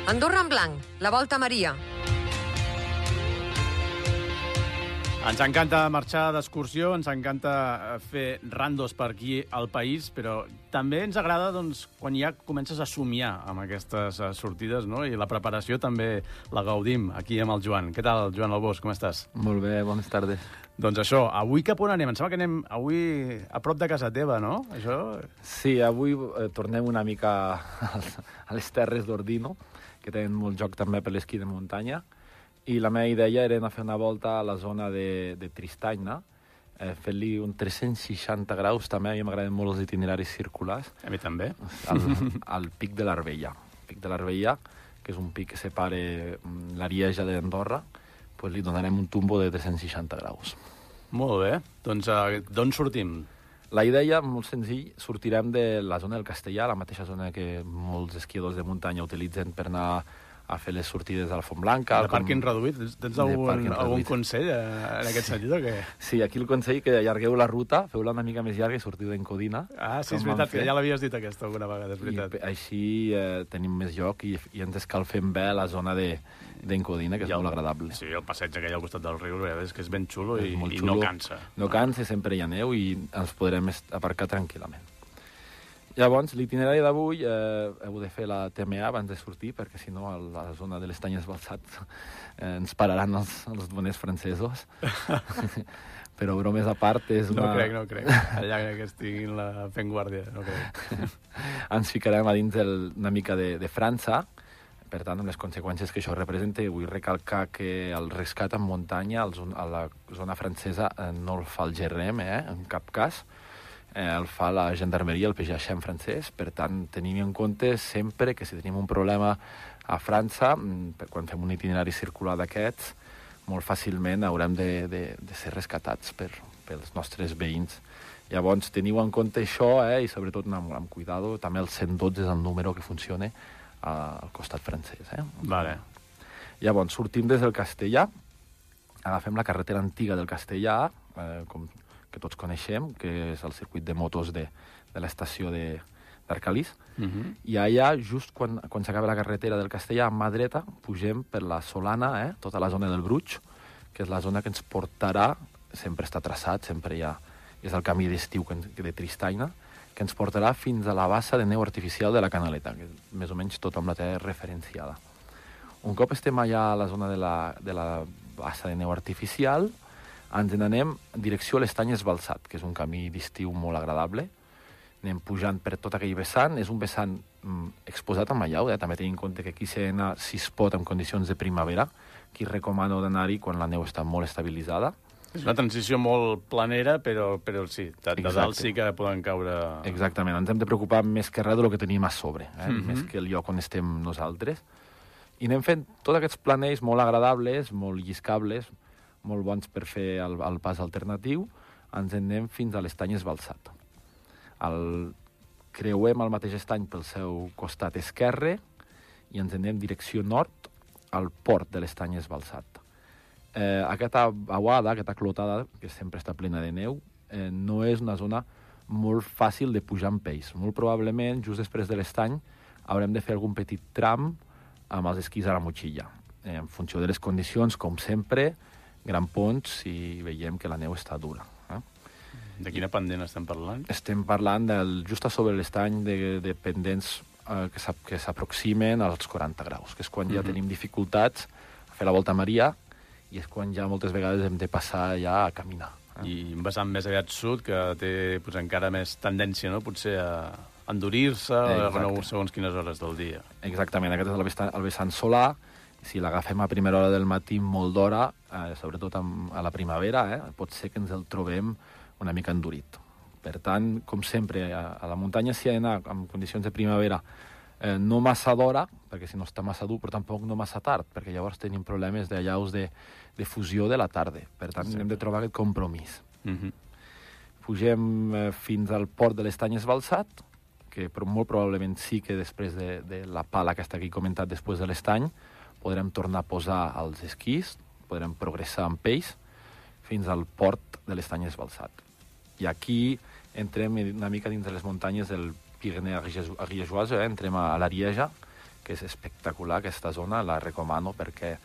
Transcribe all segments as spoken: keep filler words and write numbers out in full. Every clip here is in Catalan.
Andorra en blanc, la Volta a Maria. Ens encanta marxar d'excursió, ens encanta fer randos per aquí al país, però també ens agrada doncs, quan ja comences a somiar amb aquestes sortides, no? I la preparació també la gaudim aquí amb el Joan. Què tal, Joan Albós, com estàs? Molt bé, bones tardes. Doncs això, avui cap on anem? Em sembla que anem avui a prop de casa teva, no? Això... Sí, avui eh, tornem una mica a les terres d'Ordino, que tenen molt joc també per l'esquí de muntanya, i la meva idea era anar a fer una volta a la zona de, de Tristany, eh, fent-li un tres-cents seixanta graus, també a mi m'agraden molt els itineraris circulars. A mi també. Al, al pic de l'Arbella. El pic de l'Arbella, que és un pic que separa l'Arieja d'Andorra, pues li donarem un tumbo de tres-cents seixanta graus. Molt bé. Doncs uh, d'on sortim? La idea, molt senzill, sortirem de la zona del Castellà, la mateixa zona que molts esquiadors de muntanya utilitzen per anar a fer les sortides a la Font Blanca. De pàrquing reduït? Tens algun, algun consell en aquest sentit o què? Sí, aquí el consell que allargueu la ruta, feu-la una mica més llarga i sortiu d'Encodina. Ah, sí, és veritat, que ja l'havies dit aquesta alguna vegada, és veritat. I així eh, tenim més lloc i, i ens escalfem bé a la zona de d'Encodina, que és el, molt agradable. Sí, el passeig aquell al costat del riu, és que és ben xulo i, i xulo. No cansa. No cansa, sempre hi ha neu i ens podrem aparcar tranquil·lament. Llavors, l'itinerari d'avui eh, heu de fer la T M A abans de sortir, perquè si no a la zona de l'Estany Esbalsat eh, ens pararan els, els doners francesos. Però bromes a part és una... No crec, no crec. Allà que estiguin la... fent guàrdia, no crec. Ens ficarem a dins el, una mica de, de França, per tant, amb les conseqüències que això representa. Vull recalcar que el rescat en muntanya a la zona francesa eh, no el fa el G R M, eh, en cap cas. Eh, el fa la gendarmeria, el P G H en francès. Per tant, tenim en compte sempre que si tenim un problema a França, quan fem un itinerari circular d'aquests, molt fàcilment haurem de, de, de ser rescatats per, pels nostres veïns. Llavors, teniu en compte això, eh, i sobretot amb, amb cuidado, també el cent dotze és el número que funciona al costat francès. Eh? Vale. Llavors, sortim des del Castellà, agafem la carretera antiga del Castellà, eh, com que tots coneixem, que és el circuit de motos de, de l'estació d'Arcalís, uh-huh. i allà, just quan, quan s'acaba la carretera del Castellà, a mà dreta, pugem per la Solana, eh, tota la zona del Bruig, que és la zona que ens portarà, sempre està traçat, sempre hi ha, és el camí d'estiu de Tristany, que ens portarà fins a la bassa de neu artificial de la Canaleta, que més o menys tothom la té referenciada. Un cop estem allà a la zona de la, de la bassa de neu artificial, ens n'anem en direcció a l'Estany Esbalsat, que és un camí d'estiu molt agradable. Anem pujant per tot aquell vessant. És un vessant mm, exposat amb allau, eh? També tenim en compte que aquí s'ha d'anar, si es pot, en condicions de primavera. Aquí recomano d'anar-hi quan la neu està molt estabilitzada. És una transició molt planera, però, però sí, de, de dalt sí que poden caure... Exactament, ens hem de preocupar més que res del que tenim a sobre, eh? Mm-hmm. Més que el lloc on estem nosaltres. I anem fent tots aquests planells molt agradables, molt lliscables, molt bons per fer el, el pas alternatiu. Ens en anem fins a l'Estany Esbalsat. El, creuem el mateix estany pel seu costat esquerre i ens en anem direcció nord al port de l'Estany Esbalsat. Eh, aquesta aguada, aquesta clotada, que sempre està plena de neu, eh, no és una zona molt fàcil de pujar amb peix. Molt probablement, just després de l'estany, haurem de fer algun petit tram amb els esquís a la motxilla. Eh, en funció de les condicions, com sempre, gran ponts si veiem que la neu està dura. Eh? De quina pendent estem parlant? Estem parlant del, just a sobre l'estany de, de pendents eh, que s'aproximen als quaranta graus, que és quan ja mm-hmm. tenim dificultats a fer la Volta a Maria i és quan ja moltes vegades hem de passar ja a caminar. Eh? I un vessant més aviat sud, que té pues, encara més tendència, no?, potser a endurir-se a segons quines hores del dia. Exactament, aquest és el vessant, el vessant solar. Si l'agafem a primera hora del matí molt d'hora, eh, sobretot amb, a la primavera, eh, pot ser que ens el trobem una mica endurit. Per tant, com sempre, a, a la muntanya s'hi ha d'anar en condicions de primavera eh, no massa d'hora, perquè si no està massa dur, però tampoc no massa tard, perquè llavors tenim problemes d'allaus de, de fusió de la tarda. Per tant, sí. hem de trobar aquest compromís. Mm-hmm. Pugem eh, fins al port de l'Estany Esbalsat, que però molt probablement sí que després de, de la pala aquesta que he comentat després de l'estany, podrem tornar a posar els esquís, podrem progressar amb ells fins al port de l'Estany Esbalsat. I aquí entrem una mica dins de les muntanyes del Pirineu Ariègeois, eh? entrem a l'Arieja, que és espectacular aquesta zona, la recomano perquè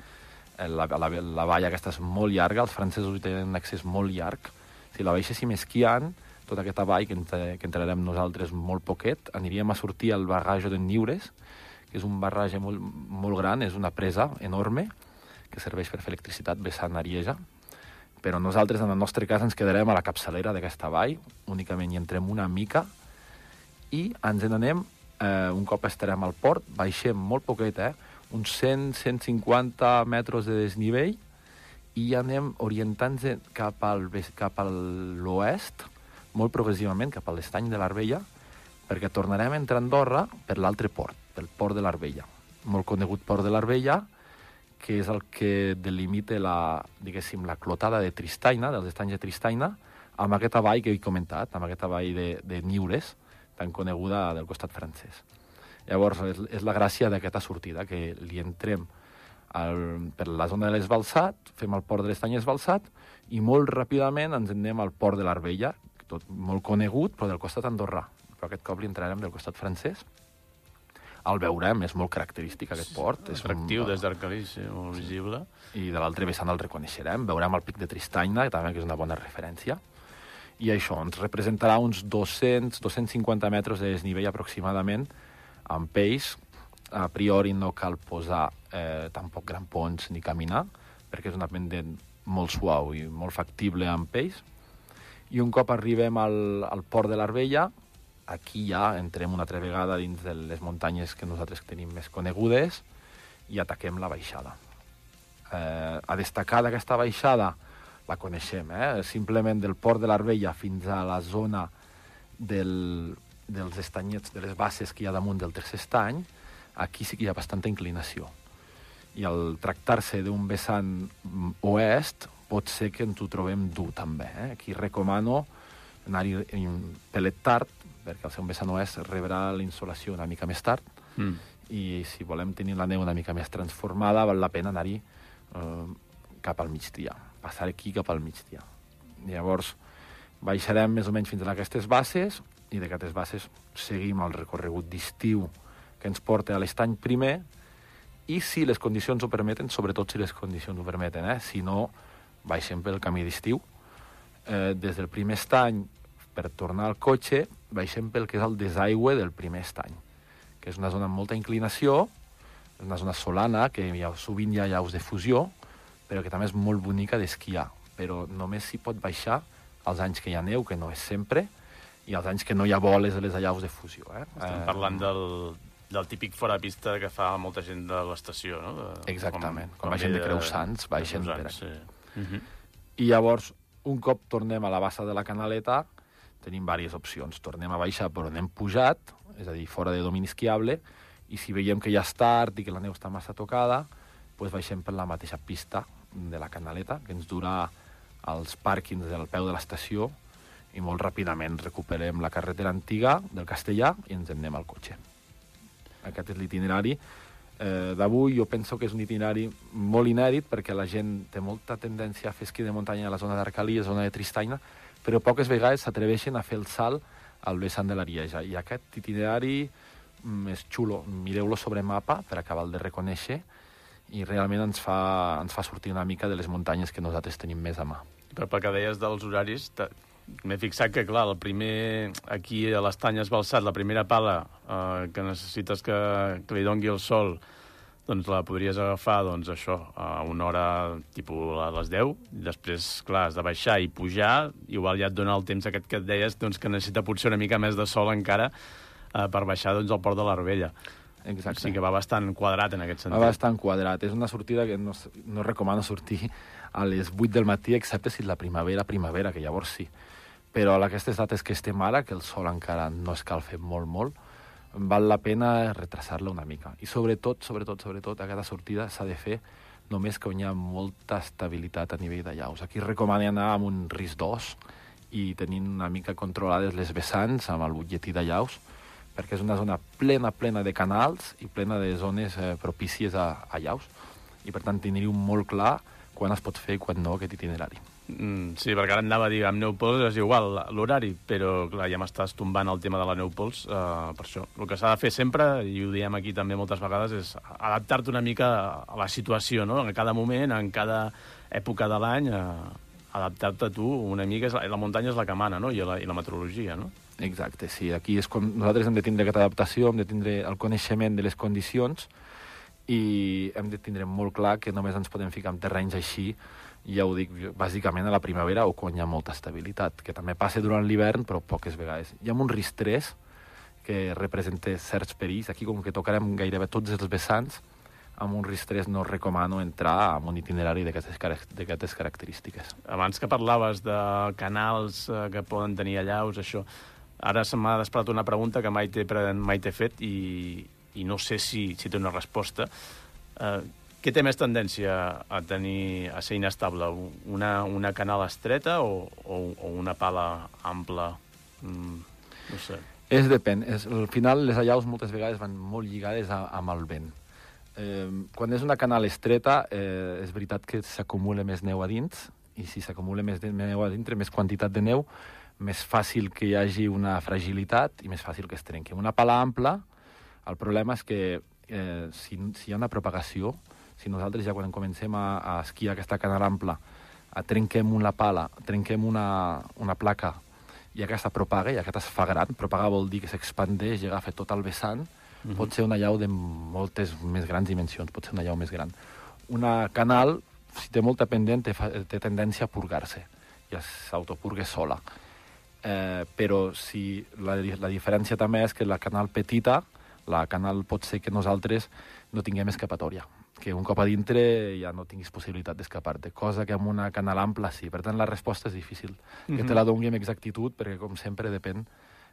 la, la, la vall aquesta és molt llarga, els francesos hi tenen un accés molt llarg. Si la baixéssim esquiant, tota aquesta vall que, entre, que entrarem nosaltres molt poquet, aniríem a sortir al barrage de Niures, que és un barrage molt, molt gran, és una presa enorme, que serveix per fer electricitat vessant Arieja. Però nosaltres, en el nostre cas, ens quedarem a la capçalera d'aquesta vall, únicament hi entrem una mica, i ens n'anem, eh, un cop estarem al port, baixem molt poquet, eh? uns cent a cent cinquanta metres de desnivell, i ja anem orientant-nos cap al, cap a l'oest, molt progressivament, cap a l'estany de l'Arbella, perquè tornarem a entrar a Andorra per l'altre port, pel port de l'Arbella. Molt conegut port de l'Arbella, que és el que delimita la, diguéssim, la clotada de Tristaina, dels estanys de Tristaina, amb aquesta vall que he comentat, amb aquesta vall de, de Niures, tan coneguda del costat francès. Llavors, és, és la gràcia d'aquesta sortida, que li entrem al, per la zona de l'Esbalsat, fem el port de l'Estany Esbalsat, i molt ràpidament ens anem al port de l'Arbella, tot molt conegut, però del costat andorrà. Però aquest cop li entrarem del costat francès. El veurem, és molt característic aquest port. És atractiu des d'Arcalís, sí, molt visible. I de l'altre vessant el reconeixerem. Veurem el pic de Tristaina, que també és una bona referència. I això ens representarà uns dos-cents a dos-cents cinquanta metres de desnivell aproximadament, amb peix. A priori no cal posar eh, tampoc grampons ni caminar, perquè és un pendent molt suau i molt factible amb peix. I un cop arribem al, al port de l'Arbella, aquí ja entrem una altra vegada dins de les muntanyes que nosaltres tenim més conegudes i ataquem la baixada. Eh, a destacar d'aquesta baixada, la coneixem, eh? Simplement del port de l'Arbella fins a la zona del, dels estanyets, de les basses que hi ha damunt del tercer estany, aquí sí que hi ha bastanta inclinació. I al tractar-se d'un vessant oest, pot ser que ens ho trobem dur també. Eh? Aquí recomano anar-hi pelet tard, perquè al ser un vessant oest rebrà la insolació una mica més tard, mm. i si volem tenir la neu una mica més transformada, val la pena anar-hi eh, cap al migdia, passar aquí cap al migdia. Llavors, baixarem més o menys fins a aquestes basses, i d'aquestes basses seguim el recorregut d'estiu que ens porta a l'estany primer, i si les condicions ho permeten, sobretot si les condicions ho permeten, eh? Si no, baixem pel camí d'estiu. Eh, des del primer estany, per tornar al cotxe, baixem pel que és el desaigüe del primer estany, que és una zona amb molta inclinació, una zona solana, que hi ha, sovint hi ha llaus de fusió, però que també és molt bonica d'esquiar. Però només s'hi pot baixar als anys que hi ha neu, que no és sempre, i als anys que no hi ha boles a les allaus de fusió. Eh? Estem parlant del, del típic fora pista que fa molta gent de l'estació, no? De, exactament. Com, quan baixen de Creusants, baixen per aquí. Sí. Uh-huh. I llavors, un cop tornem a la bassa de la Canaleta, tenim diverses opcions. Tornem a baixar per on hem pujat, és a dir, fora de domini esquiable, i si veiem que ja és tard i que la neu està massa tocada, doncs baixem per la mateixa pista de la Canaleta, que ens durà als pàrquings del peu de l'estació, i molt ràpidament recuperem la carretera antiga del Castellà i ens en anem al cotxe. Aquest és l'itinerari eh, d'avui. Jo penso que és un itinerari molt inèdit, perquè la gent té molta tendència a fer esquí de muntanya a la zona d'Arcalí, a la zona de Tristaina, però poques vegades s'atreveixen a fer el salt al vessant de l'Arieja. I aquest itinerari mm, és xulo. Mireu-lo sobre mapa per acabar-lo de reconèixer, i realment ens fa, ens fa sortir una mica de les muntanyes que nosaltres tenim més a mà. Però pel que deies dels horaris, m'he fixat que, clar, el primer, aquí a l'estany Esbalsat, la primera pala eh, que necessites que, que li dongui el sol, doncs la podries agafar, doncs això, a una hora, tipus a les deu, i després, clar, has de baixar i pujar, igual ja et dona el temps aquest que et deies, doncs que necessita potser una mica més de sol encara eh, per baixar, doncs, al port de l'Arbella. Exacte. O sigui que va bastant quadrat en aquest sentit. Va bastant quadrat. És una sortida que no, no recomano sortir a les vuit del matí, excepte si la primavera, primavera, que llavors sí. Però a aquestes dates que estem ara, que el sol encara no escalfa molt, molt, val la pena retrasar-la una mica. I sobretot, sobretot, sobretot, aquesta sortida s'ha de fer només que hi ha molta estabilitat a nivell de llaus. Aquí recomano anar amb un risc d'os i tenint una mica controlades les vessants amb el butlletí de llaus, perquè és una zona plena, plena de canals i plena de zones eh, propícies a, a llaus. I, per tant, tindríeu molt clar quan es pot fer i quan no aquest itinerari. Mm, sí, perquè ara anava a dir, amb Neupols és igual l'horari, però clar, ja m'estàs tombant el tema de la Neupols, uh, per això. El que s'ha de fer sempre, i ho diem aquí també moltes vegades, és adaptar-te una mica a la situació, no? En cada moment, en cada època de l'any, uh, adaptar-te a tu una mica. La, la muntanya és la que mana, no? I la, i la meteorologia, no? Exacte, sí. Aquí és com nosaltres hem de tindre aquesta adaptació, hem de tindre el coneixement de les condicions i hem de tindre molt clar que només ens podem ficar en terrenys així, ja ho dic, bàsicament a la primavera o quan hi ha molta estabilitat, que també passa durant l'hivern, però poques vegades. Hi ha un risc tres que representa certs perills. Aquí, com que tocarem gairebé tots els vessants, amb un risc tres no recomano entrar en un itinerari d'aquestes característiques. Abans que parlaves de canals eh, que poden tenir allaus, això, ara se m'ha despertat una pregunta que mai t'he mai t'he fet i, i no sé si, si té una resposta. Eh, Què té més tendència a tenir a ser inestable? Una, una canal estreta o, o, o una pala ampla? Mm, no sé. És depèn. És, al final, les allaus moltes vegades van molt lligades a, amb el vent. Eh, quan és una canal estreta, eh, és veritat que s'acumula més neu a dins, i si s'acumula més neu a dintre, més quantitat de neu, més fàcil que hi hagi una fragilitat i més fàcil que es trenqui. Una pala ampla, el problema és que eh, si, si hi ha una propagació, si nosaltres ja quan comencem a, a esquiar aquesta canal ampla, a trenquem una pala, trenquem una, una placa i aquesta propaga, i aquesta es fa gran, propagar vol dir que s'expandeix i agafa tot el vessant, uh-huh. Pot ser una llau de moltes més grans dimensions, pot ser una llau més gran. Una canal, si té molta pendent, té, té tendència a purgar-se, i s'autopurga sola. Eh, però si la, la diferència també és que la canal petita, la canal pot ser que nosaltres no tinguem escapatòria, que un cop a dintre ja no tinguis possibilitat d'escapar-te, cosa que amb una canal ampla sí. Per tant, la resposta és difícil. Mm-hmm. Que te la doni amb exactitud, perquè, com sempre, depèn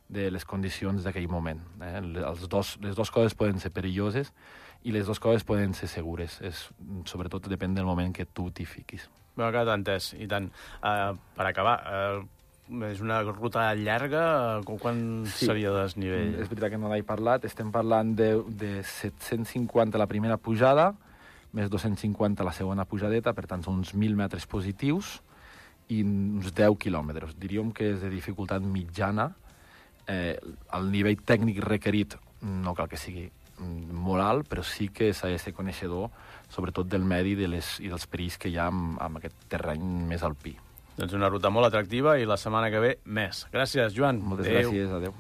de les condicions d'aquell moment. Eh? Els dos, les dues coses poden ser perilloses i les dues coses poden ser segures. És, sobretot depèn del moment que tu t'hi fiquis. M'ha quedat entès, i tant. Uh, per acabar, uh, és una ruta llarga? Quan sí. seria de desnivell? És veritat que no n'he parlat. Estem parlant de, de set-cents cinquanta la primera pujada, més dos-cents cinquanta la segona pujadeta, per tant, són uns mil metres positius i uns deu quilòmetres. Diríem que és de dificultat mitjana. Eh, el nivell tècnic requerit no cal que sigui molt alt, però sí que s'ha de ser coneixedor, sobretot del medi de les, i dels perills que hi ha amb, amb aquest terreny més alpí. Doncs una ruta molt atractiva i la setmana que ve més. Gràcies, Joan. Moltes adéu. Gràcies, adéu.